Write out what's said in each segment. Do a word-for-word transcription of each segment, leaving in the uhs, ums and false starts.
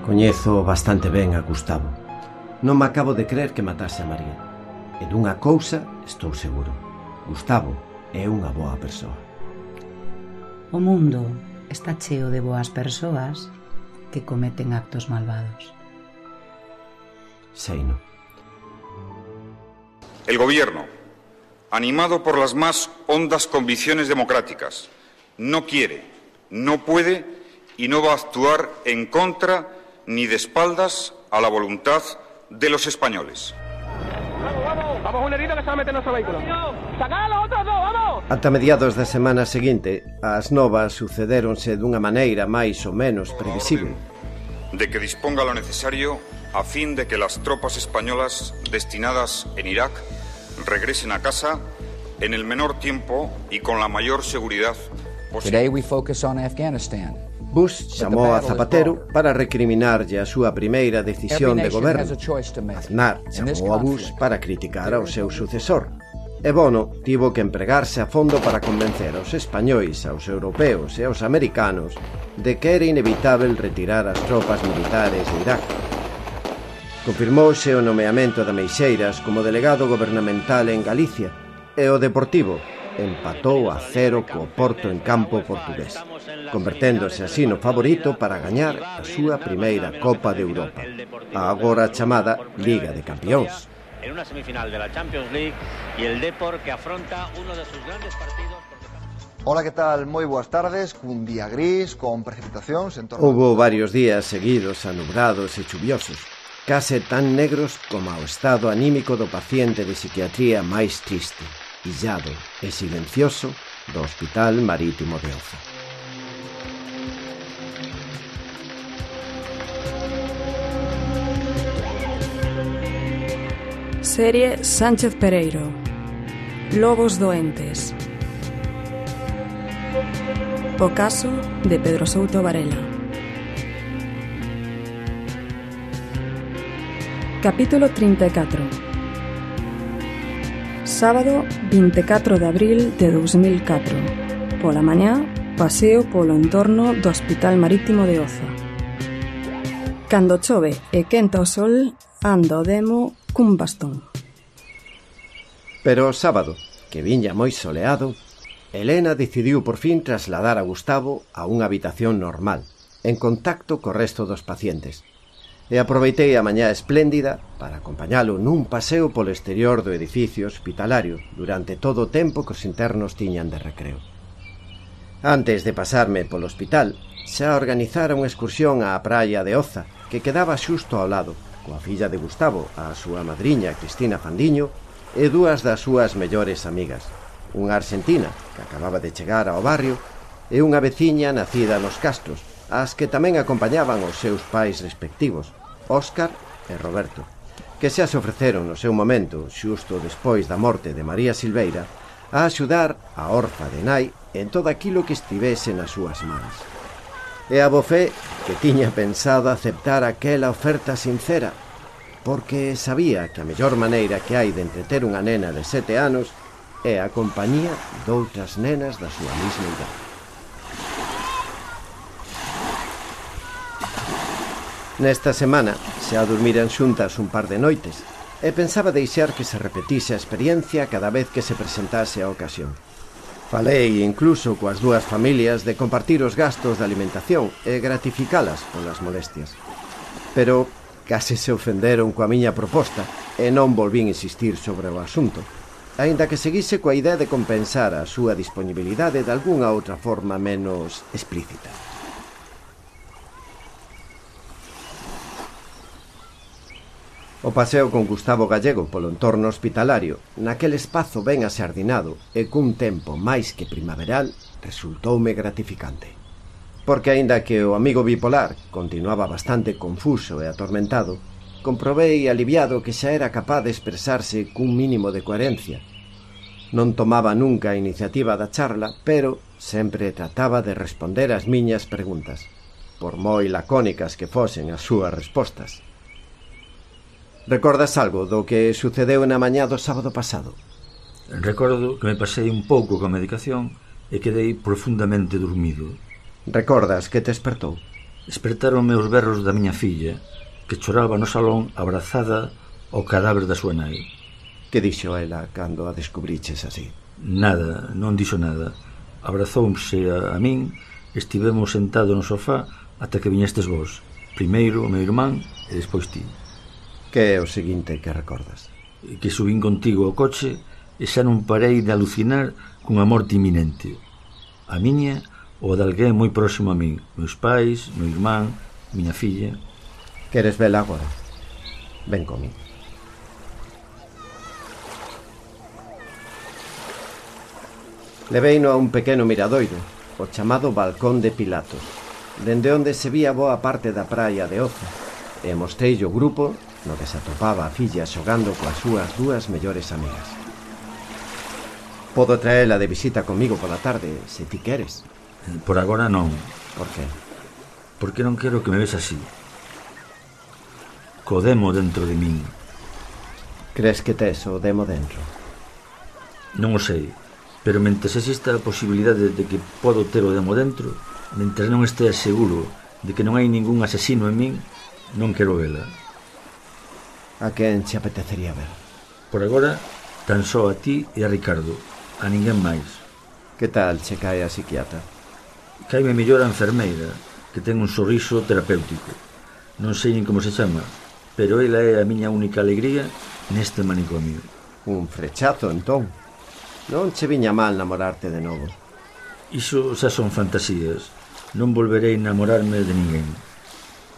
Coñezo bastante ben a Gustavo. Non me acabo de crer que matase a María. E dunha cousa estou seguro: Gustavo é unha boa persoa. O mundo está cheo de boas persoas que cometen actos malvados. Seino. El gobierno, animado por las más hondas convicciones democráticas, no quiere, no puede y no va a actuar en contra ni de espaldas a la voluntad de los españoles. Vamos, vamos, vamos, un herido que se va a meter en nuestro vehículo. ¡Sacad a los otros dos, vamos! Ata mediados da semana seguinte, as novas sucedéronse dunha maneira máis ou menos previsible. De que disponga lo necesario a fin de que las tropas españolas destinadas en Irak regresen a casa en el menor tiempo y con la mayor seguridad posible. Today we focus on Afghanistan. Bush chamou a Zapatero para recriminarlle a súa primeira decisión de goberno. Aznar chamou a Bush para criticar ao seu sucesor. E Bono tivo que empregarse a fondo para convencer aos españois, aos europeos e aos americanos de que era inevitável retirar as tropas militares de Irak. Confirmouse o nomeamento de Meixeiras como delegado gobernamental en Galicia e o Deportivo empatou a cero co Porto en campo portugués, converténdose así no favorito para gañar a súa primeira Copa de Europa, a agora chamada Liga de Campións. En una semifinal de la Champions League y el Depor que afronta uno de sus grandes partidos. Hola, que tal? Moi boas tardes, cun día gris, con precipitacións en torno... Houbo varios días seguidos anubrados e chuviosos, case tan negros como o estado anímico do paciente de psiquiatría máis triste, illado e silencioso do Hospital Marítimo de Oza. Serie Sánchez Pereiro. Lobos doentes. O caso de Pedro Souto Varela. Capítulo trinta e catro. Sábado vinte e catro de abril de dous mil catro. Pola mañá, paseo polo entorno do Hospital Marítimo de Oza. Cando chove e quenta o sol, anda o demo cun bastón. Pero o sábado, que viña moi soleado, Elena decidiu por fin trasladar a Gustavo a unha habitación normal, en contacto co resto dos pacientes. E aproveitei a mañá espléndida para acompañalo nun paseo polo exterior do edificio hospitalario durante todo o tempo que os internos tiñan de recreo. Antes de pasarme polo hospital, xa organizara unha excursión á praia de Oza, que quedaba xusto ao lado, coa filla de Gustavo, a súa madriña Cristina Fandiño, e dúas das súas mellores amigas, unha argentina que acababa de chegar ao barrio e unha veciña nacida nos Castros, as que tamén acompañaban os seus pais respectivos, Óscar e Roberto, que xa se ofreceron no seu momento, xusto despois da morte de María Silveira, a axudar a orfa de nai en todo aquilo que estivese nas súas mans. E a Bofé, que tiña pensado aceptar aquela oferta sincera, porque sabía que a mellor maneira que hai de entreter unha nena de sete anos é a compañía doutras nenas da súa mesma idade. Nesta semana xa dormiran xuntas un par de noites e pensaba deixar que se repetise a experiencia cada vez que se presentase a ocasión. Falei incluso coas dúas familias de compartir os gastos de alimentación e gratificalas polas molestias. Pero case se ofenderon coa miña proposta e non volvín insistir sobre o asunto, aínda que seguise coa idea de compensar a súa disponibilidade de algunha outra forma menos explícita. O paseo con Gustavo Gallego polo entorno hospitalario, naquel espazo ben asardinado e cun tempo máis que primaveral, resultoume gratificante. Porque aínda que o amigo bipolar continuaba bastante confuso e atormentado, comprobei aliviado que xa era capaz de expresarse cun mínimo de coherencia. Non tomaba nunca a iniciativa da charla, pero sempre trataba de responder ás miñas preguntas, por moi lacónicas que fosen as súas respostas. Recordas algo do que sucedeu na mañá do sábado pasado? Recordo que me pasei un pouco coa medicación e quedei profundamente dormido. Recordas que te despertou? Espertaronme os berros da miña filla, que choraba no salón abrazada ao cadáver da súa nai. Que dixo ela cando a descubriches así? Nada, non dixo nada. Abrazouse a, a min, estivemos sentados no sofá ata que viñestes vos. Primeiro o meu irmán e despois ti. Que é o seguinte que recordas? Que subín contigo ao coche e xa non parei de alucinar cunha morte inminente. A miña ou a de alguén moi próximo a min. Meus pais, meu irmán, miña filla. Queres vela agora? Ven comigo. Leveino a un pequeno miradoiro, o chamado Balcón de Pilatos, dende onde se vía boa parte da praia de Oza, e mostrei o grupo no que se atopaba a filla xogando coas súas dúas mellores amigas. Podo traela de visita comigo pola tarde, se ti queres. Por agora non. Por que? Porque non quero que me ves así. Co demo dentro de min. Crees que tes o demo dentro? Non o sei, pero mentres exista a posibilidade de que podo ter o demo dentro, mentres non estea seguro de que non hai ningún asesino en min, non quero vela. A quen che apetecería ver? Por agora, tan só a ti e a Ricardo, a ninguén máis. Que tal che cae a psiquiatra? Caime mellor a enfermeira, que ten un sorriso terapéutico. Non sei nin como se chama, pero ela é a miña única alegría neste manicomio. Un frechazo, entón. Non che viña mal namorarte de novo. Iso xa son fantasías. Non volverei namorarme de ninguén.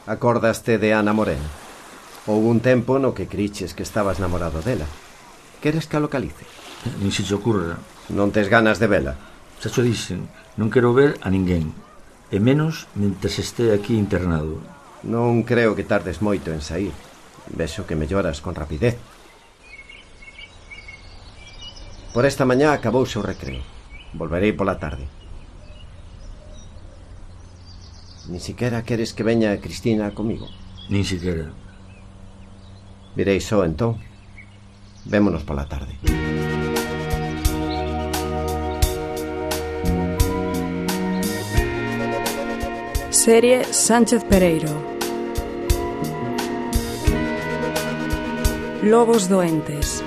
Acordaste de Ana Moreno? Houve un tempo no que criches que estabas namorado dela. Queres que a localice? Nin se te ocurra. Non tes ganas de vela? Xa xo dixen, non quero ver a ninguén. E menos mentres este aquí internado. Non creo que tardes moito en sair. Vexo que melloras con rapidez. Por esta mañá acabouse o recreo. Volverei pola tarde. Ni siquiera queres que veña Cristina comigo? Nin siquiera. Virei só, entón. Vémonos pola tarde. Serie Sánchez Pereiro. Lobos doentes.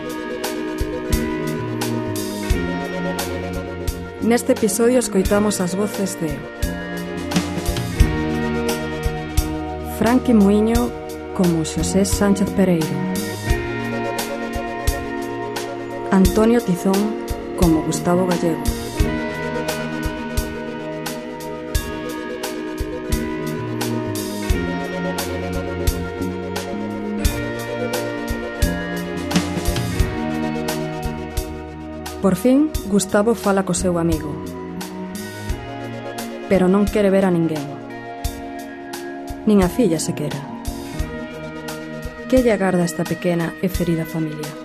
Neste episodio escoitamos as voces de Franqui Muiño como Xosé Sánchez Pereiro, Antonio Tizón como Gustavo Gallego, Por fin, Gustavo fala co seu amigo, pero non quere ver a ninguén, nin a filla sequera. Que lle agarda esta pequena e ferida familia?